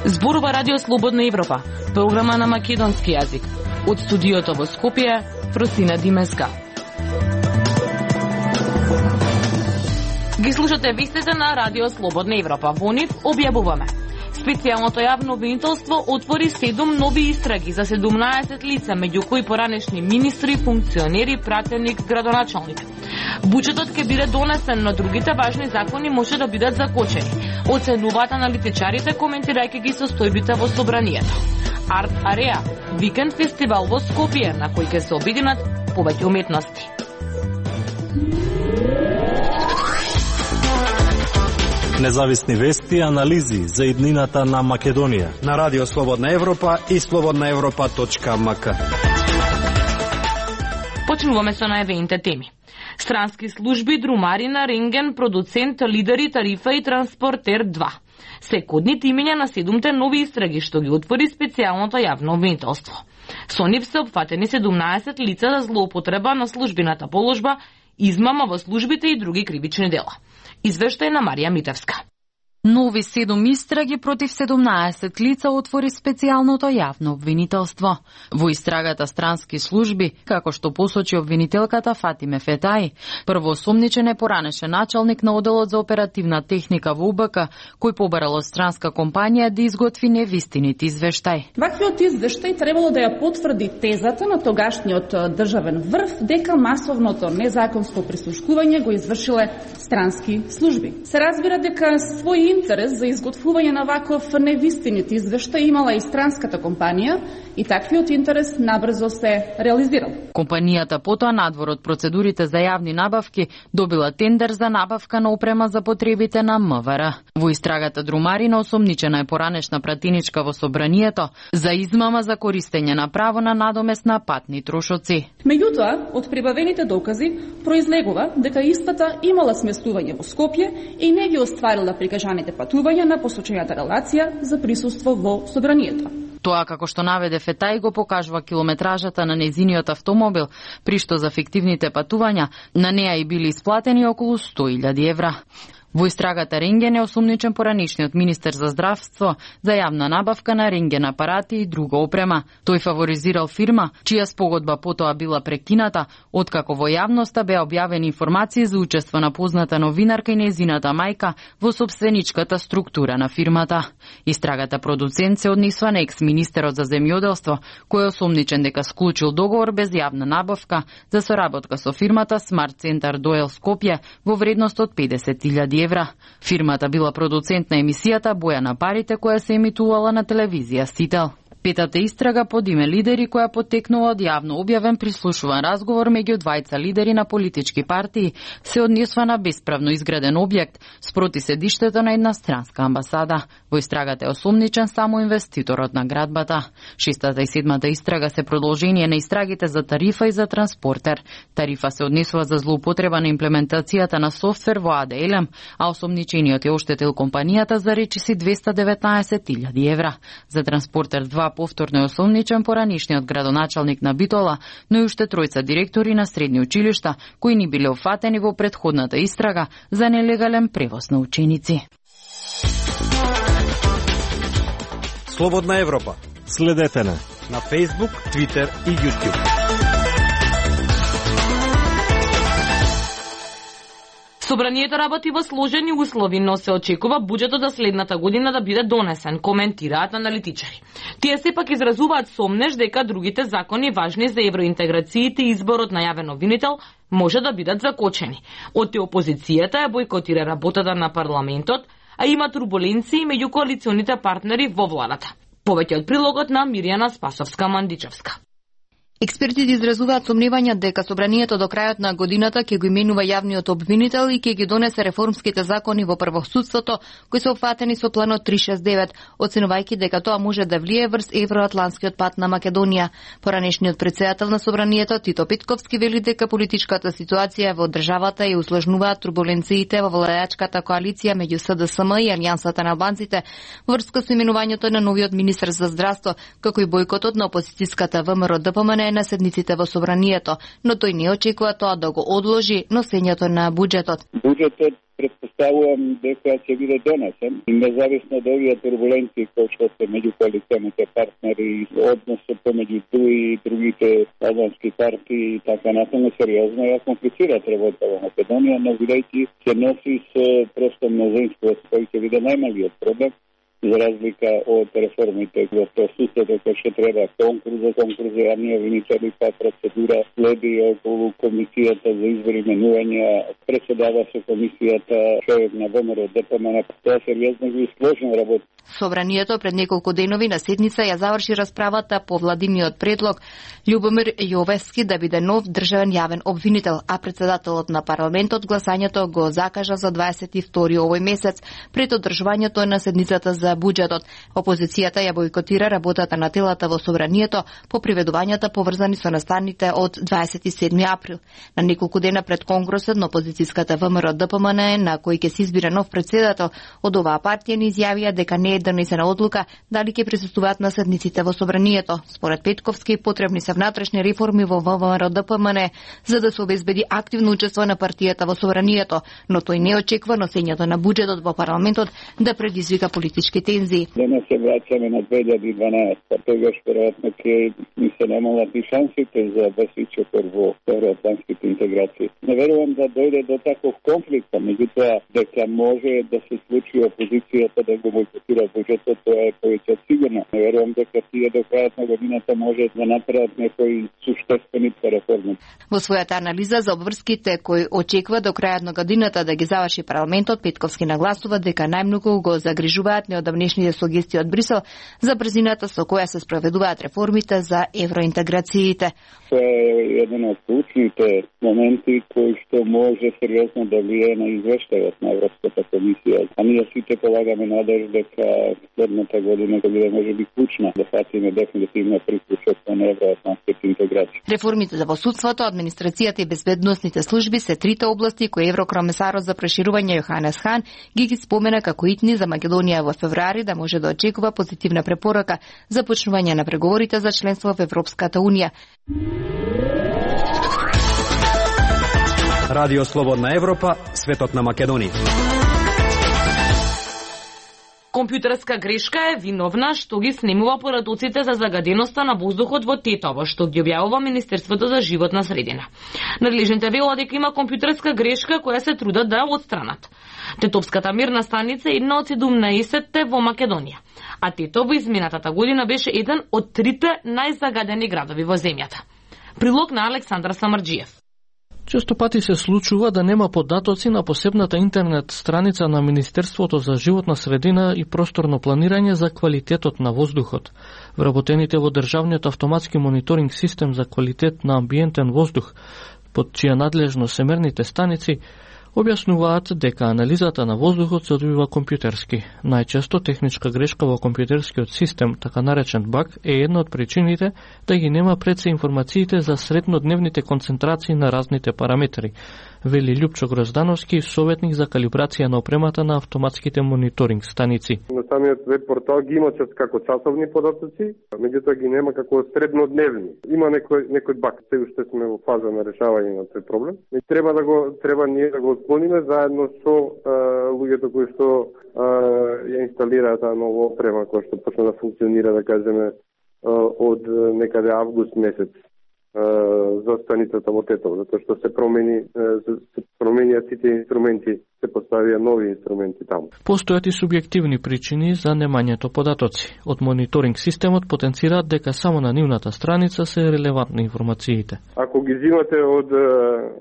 Зборува Радио Слободна Европа, програма на македонски јазик. Од студиото во Скопје, Фросина Димеска. Ги слушате вестите на Радио Слободна Европа. Во нив објавуваме. Специјалното јавно обвинителство отвори 7 нови истраги за 17 лица, меѓу кои поранешни министри, функционери, пратеник, градоначалник. Буџетот ќе биде донесен, но другите важни закони може да бидат закочени. Оценуваат аналитичарите, коментирајќи ги состојбите во собранието. Арт Ареа, викенд фестивал во Скопје, на кој ќе се обединат повеќе уметности. Независни вести и анализи за иднината на Македонија на Радио Слободна Европа и slobodnaevropa.mk. Почнуваме со најавените теми. Странски служби, друмарина, рентген, продуцент, лидери, тарифа и транспортер 2. Се кодни имиња на 7 нови истраги што ги отвори специјалното јавно обвинителство. Со нив се опфатени 17 лица за злоупотреба на службената положба, измама во службите и други кривични дела. Извештај на Марија Митевска. Нови 7 истраги против 17 лица отвори специјалното јавно обвинителство. Во истрагата странски служби, како што посочи обвинителката Фатиме Фетаи, првоосомничен е поранешен началник на оделот за оперативна техника во УБК, кој побарал од странска компанија да изготви невистинит извештај. Ваквиот извештај требало да ја потврди тезата на тогашниот државен врв дека масовното незаконско прислушкување го извршиле странски служби. Се разбира дека свој интерес за изготвување на ваков невистинит извештај имала и странската компанија и таквиот интерес набрзо се реализирал. Компанијата потоа надвор од процедурите за јавни набавки добила тендер за набавка на опрема за потребите на МВР. Во истрагата друмарина осомничена е поранешна пратеничка во собранието за измама за користење на право на надомест на патни трошоци. Меѓутоа, од прибавените докази произлегува дека истата имала сместување во Скопје и не ги остварила прикажаните патувања на посочената релација за присуство во собранието. Тоа, како што наведе Фетај, го покажува километражата на незиниот автомобил, при што за фиктивните патувања на неа и били исплатени околу 100.000 евра. Во истрагата рентген е осомничен поранешниот министер за здравство за јавна набавка на рентген апарати и друга опрема. Тој фаворизирал фирма, чија спогодба потоа била прекината, откако во јавноста беа објавени информации за учество на позната новинарка и незината мајка во сопственичката структура на фирмата. Истрагата продуцент се однесува на екс-министерот за земјоделство, кој е осомничен дека склучил договор без јавна набавка за соработка со фирмата Smart Center Doel Скопје во вредност од 50.000 евра. Фирмата била продуцент на емисијата Боја на парите, која се емитувала на телевизија Сител. Петата истрага под име Лидери, која потекнува од јавно објавен прислушуван разговор меѓу двајца лидери на политички партии, се однесува на бесправно изграден објект спроти седиштето на една странска амбасада. Во истрагата е осомничен само инвеститорот на градбата. Шестата и седмата истрага се продолжение на истрагите за тарифа и за транспортер. Тарифа се однесува за злоупотреба на имплементацијата на софтвер во АДЛМ, а осомничениот е оштетил компанијата за речиси 219.000 евра. За транспортер 2 повторно е осомничен поранишниот градоначалник на Битола, но и уште тројца директори на средни училишта кои ни биле офатени во претходната истрага за нелегален превоз на ученици. Слободна Европа. Следете на Facebook, Twitter и YouTube. Собранието работи во сложени услови, но се очекува буџетот за следната година да биде донесен, коментираат аналитичари. Тие сепак изразуваат сомнеж дека другите закони важни за евроинтеграциите и изборот на јавен обвинител може да бидат закочени. Од опозицијата ја бойкотира работата на парламентот, а има турбуленции меѓу коалиционите партнери во владата. Повеќе од прилогот на Мирјана Спасовска-Мандичевска. Експертите изразуваат сомневања дека собранието до крајот на годината ќе го именува јавниот обвинител и ќе ги донесе реформските закони во правосудството кои се опфатени со планот 369, оценувајќи дека тоа може да влие врз евроатланскиот пат на Македонија. Поранешниот претседател на собранието Тито Петковски вели дека политичката ситуација во државата ја услажнуваат турбуленциите во владеачката коалиција меѓу СДСМ и Алијансата на албанците врска со именувањето на новиот министер за здравство, како и бојкотот на опозицијската ВМРО ДПМН е на седниците во собранието, но тој не очекува тоа да го одложи носењето на буџетот. Буџетот предпоставувам дека ќе биде донесен, независно од овие турбуленции кои што се меѓу коалиционите партнери, односот помеѓу ДУИ и другите албански партии и така натаму сериозно ја комплицира работа во Македонија, но бидејќи се носи со просто мнозинство кој ќе биде најмалиот проблем, за разлика од реформите во пресуството кој што треба конкурс, јавни обвинители, па процедура следи околу комисијата за избори, менувања, председава со комисијата човек на ВМРО ДПМН, тоа сериозно ги сложна работа. Собранието пред неколку денови на седница ја заврши расправата по владиниот предлог Љубомир Јовески да биде нов државен јавен обвинител, а председателот на парламентот гласањето го закажа за 22 овој месец пред одржувањето на седницата за буџетот. Опозицијата ја бойкотира работата на телата во собранието по приведувањата поврзани со настаните од 27 април. На неколку дена пред конгресот на опозицијската ВМРО ДПМН, на кој ќе се избира нов председател, од оваа партија ни изјавија дека не е донесена одлука дали ќе присуствуваат на седниците во собранието. Според Петковски потребни се внатрешни реформи во ВМРО ДПМН за да се обезбеди активно учество на партијата во собранието, но тој не очекува носењето на буџетот во парламентот да предизвика политички тензии. Денес се враќаме на 2012, па тогаш веројатно ќе ни се намалат и шансите за Басичев во евроатлантските интеграции. Не верувам да дојде до таков конфликт, меѓутоа дека може да се случи опозицијата да го бойкотира буџетот, тоа е повеќе сигурно. Не верувам дека тие до крајот на годината може да направат некои суштествени реформи. Во својата анализа за обврските кои очекува до крајот на годината да ги заврши парламентот, Петковски нагласува дека најмногу го загрижуваат неодамнешните сугестии од Брисел за брзината со која се спроведуваат реформите за евроинтеграциите. Тоа е еден од клучните моменти кои што може сериозно да влијае на извештајот на Европската комисија. А ние сите полагаме надеж дека следната година ќе биде можеби клучна да фатиме дефинитивно приклучок на евроатлантските интеграции. Реформите во судството, администрацијата и безбедносните служби се трите области кои еврокомесарот за проширување Јоханес Хан ги спомена како итни за Македонија во февруари да може да очекува позитивна препорака за почнување на преговорите за членство во Европската унија. Радио Слободна Европа, светот на Македонија. Компјутерска грешка е виновна што ги снимува порадоците за загаденоста на воздухот во Тетово, што ги објавува Министерството за животна средина. Надлежните велат дека има компјутерска грешка која се трудат да ја отстранат. Тетовската мирна станица е една од 17-те во Македонија, а Тетово изминатата година беше еден од 3 најзагадени градови во земјата. Прилог на Александар Самарџиев. Често пати се случува да нема податоци на посебната интернет страница на Министерството за животна средина и просторно планирање за квалитетот на воздухот. Вработените во државниот автоматски мониторинг систем за квалитет на амбиентен воздух, под чија надлежност се мерните станици, објаснуваат дека анализата на воздухот се одвива компјутерски. Најчесто техничка грешка во компјутерскиот систем, така наречен баг, е една од причините да ги нема пред се информациите за среднодневните концентрации на разните параметри, вели Љупчо Гроздановски, советник за калибрација на опремата на автоматските мониторинг станици. На самиот веб портал ги има како часовни податоци, меѓутоа ги нема како среднодневни. Има некој баг, се уште сме во фаза на решавање на тој проблем. И треба ние да го отклониме заедно со луѓето кои што ја инсталираат таа нова опрема која што почна да функционира, да кажеме, од некаде август месец за станицата во Тетово, затоа што се променија сите инструменти, се поставија нови инструменти таму. Постојат и субјективни причини за немањето податоци. Од мониторинг системот потенцираат дека само на нивната страница се релевантни информациите. Ако ги взимате од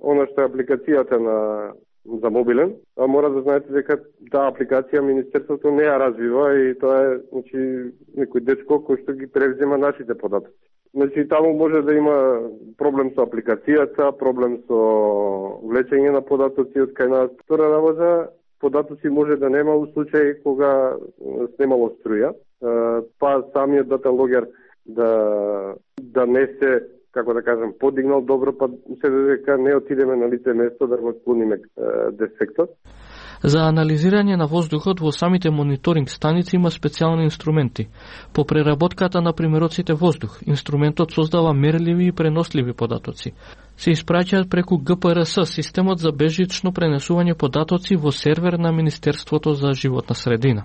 она што е апликацијата за мобилен, мора да знаете дека таа апликација Министерството не ја развива и тоа е некој дечко кој што ги превзема нашите податоци. Таму може да има проблем со апликацијата, проблем со влечење на податоци од кај нас. Втора работа, податоци може да нема у случај кога снемало струја, па самиот дата логер да не се, како да кажем, подигнал добро, па се дека не отидеме на лице место да го отклониме дефектот. За анализирање на воздухот во самите мониторинг станици има специјални инструменти. По преработката на примероците воздух, инструментот создава мерливи и преносливи податоци. Се испраќаат преку ГПРС, системот за бежично пренесување податоци во сервер на Министерството за животна средина.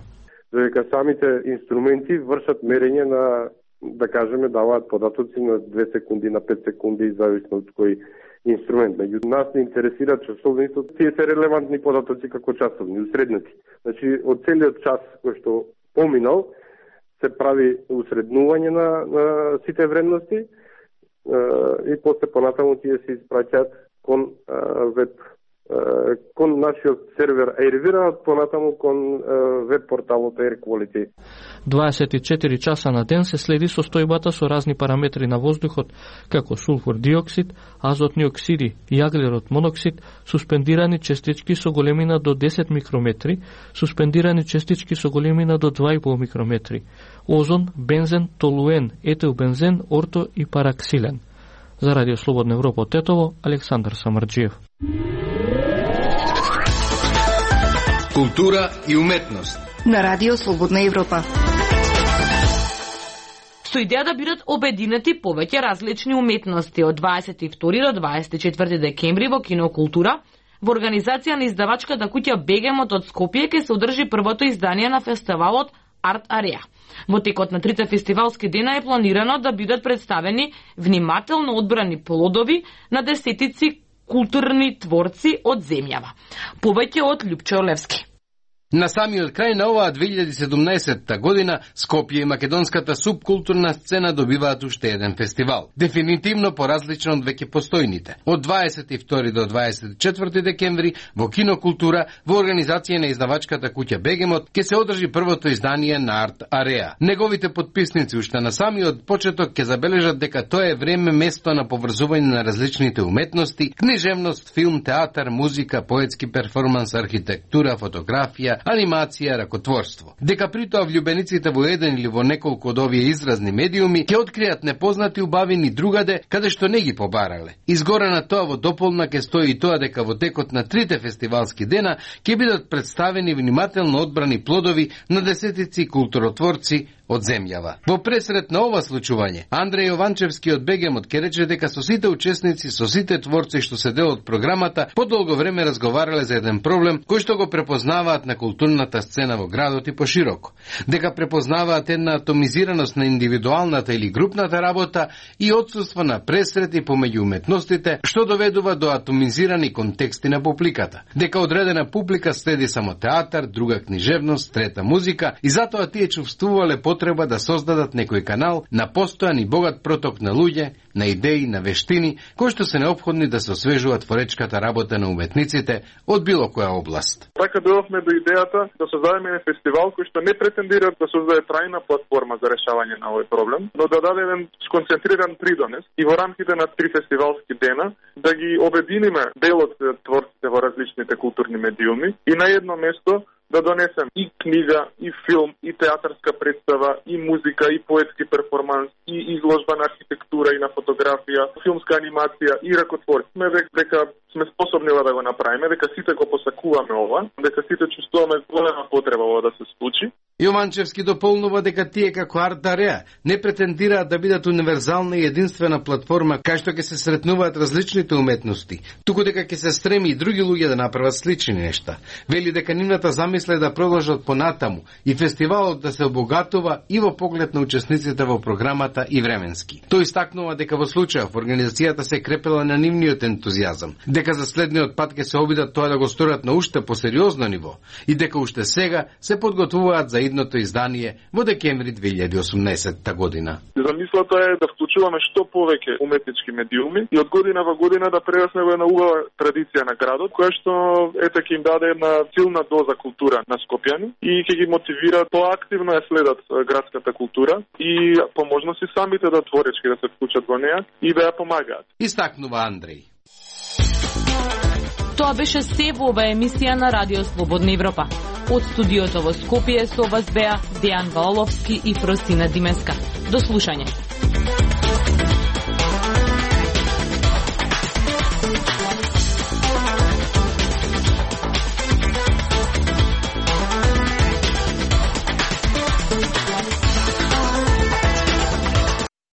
Дека самите инструменти вршат мерење на, да кажеме, даваат податоци на 2 секунди, на 5 секунди, зависно од кој инструмент. Меѓу нас не интересира часовницот, тие се релевантни податоци како часовни, усреднати. Значи, од целиот час кој што поминал, се прави усреднување на сите вредности и после понатаму тие се испраќаат кон веб, кон нашиот сервер Airvira, понатаму кон веб порталот Air Quality. 24 часа на ден се следи состојбата со разни параметри на воздухот, како сулфур диоксид, азотни оксиди, јаглерод моноксид, суспендирани честички со големина до 10 микрометри, суспендирани честички со големина до 2,5 микрометри, озон, бензен, толуен, етилбензен, орто и параксилен. За Радио Слободна Европа од Тетово, Александар Самарџиев. Култура и уметност на Радио Слободна Европа. Со идеја да бидат обединети повеќе различни уметности од 22 до 24 декември во Кинокултура, во организација на издавачката куќа Бегемот од Скопје ќе се одржи првото издание на фестивалот Арт Ареа. Во текот на 3 фестивалски дена е планирано да бидат представени внимателно одбрани плодови на десетици културни творци од земјава. Повеќе од Љупчо Левски. На самиот крај на оваа 2017 година, Скопје и македонската субкултурна сцена добиваат уште еден фестивал. Дефинитивно поразличен од веќе постојните. Од 22 до 24 декември во Кинокултура, во организација на издавачката куќа Бегемот, ќе се одржи првото издание на Арт Ареа. Неговите подписници уште на самиот почеток ќе забележат дека тоа е време место на поврзување на различните уметности, книжевност, филм, театар, музика, поетски перформанс, архитектура, фотографија, анимација, ракотворство. Дека при тоа влюбениците во еден или во неколку од овие изразни медиуми ќе откријат непознати убавини другаде каде што не ги побарале. Изгоре на тоа во дополна ќе стои и тоа дека во текот на 3 фестивалски дена ќе бидат представени внимателно одбрани плодови на десетици културотворци од земјава. Во пресрет на ова случување, Андреј Јованчевски од Бегемот ќе рече дека со сите учесници, со сите творци што се дел од програмата, подолго време разговарале за еден проблем кој што го препознаваат на културната сцена во градот и пошироко. Дека препознаваат една атомизираност на индивидуалната или групната работа и отсуство на пресрети помеѓу уметностите, што доведува до атомизирани контексти на публиката. Дека одредена публика следи само театар, друга книжевност, трета музика и затоа тие чувствувале потреба да создадат некој канал на постојан и богат проток на луѓе, на идеи, на вештини, кои што се неопходни да се освежуваат творечката работа на уметниците од било која област. Така дојдовме до идејата да создадеме фестивал кој што не претендира да создаде трајна платформа за решавање на овој проблем, но да даде еден сконцентриран придонес и во рамките на 3 фестивалски дена да ги обединиме дел од творците во различните културни медиуми и на едно место да донесем и книга, и филм, и театарска представа, и музика, и поетски перформанс, и изложба на архитектура и на фотографија, филмска анимација и ракотворство. Дека сме способни да го направиме, дека сите го посакуваме ова, дека сите чувствуваме голема потреба ова да се случи. Јованчевски дополнува дека тие како Арт Ареа не претендираат да бидат универзална и единствена платформа кај што ќе се сретнуваат различните уметности, туку дека ќе се стреми и други луѓе да направат слични нешта. Вели дека нивната замисла е да продолжат понатаму и фестивалот да се обогатува и во поглед на учесниците во програмата и временски. Тој истакнува дека во случајов организацијата се крепела на нивниот ентузијазам, дека за следниот пат ќе се обидат тоа да го сторат на уште посериозно ниво и дека уште сега се подготвуваат за идното издание во декември 2018 година. Замислата е да вклучуваме што повеќе уметнички медиуми и од година во година да прерасне во една убава традиција на градот, која што ете ќе им даде една силна доза култура на скопјани и ќе ги мотивира поактивно ја следат градската култура и по можности самите да творечки да се вклучат во неа и да ја помагаат. Истакнува Андреј. Тоа беше се во оваа емисија на Радио Слободна Европа. Од студиото во Скопје со вас беа Дејан Валовски и Фростина Димеска. До слушање.